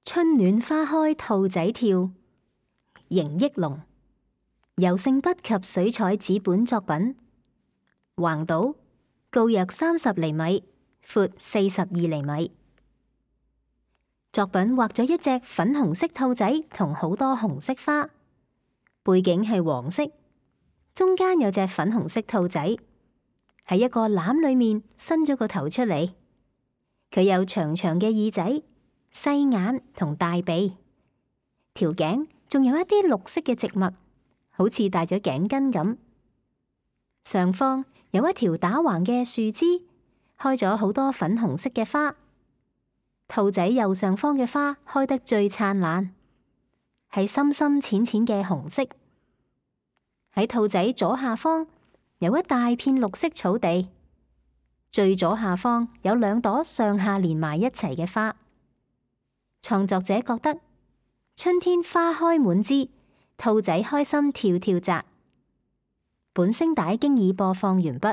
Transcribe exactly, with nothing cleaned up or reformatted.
春暖花開兔仔跳，邢益龍。油性筆及水彩紙本作品，橫島，高約三十厘米，闊四十二厘米。作品畫咗一隻粉紅色兔仔同好多紅色花，背景係黃色，中間有隻粉紅色兔仔喺一個籃裏面伸咗個頭出嚟，佢有長長嘅耳仔、細眼同大鼻，條頸仲有一啲綠色嘅植物，好似戴咗頸巾咁。上方有一條打橫嘅樹枝，開咗好多粉紅色嘅花。兔仔右上方嘅花開得最燦爛，係深深淺淺嘅紅色。喺兔仔左下方有一大片綠色草地，最左下方有兩朵上下連埋一齊嘅花。創作者覺得春天花開滿枝，兔仔開心跳跳紮。本聲帶經已播放完畢。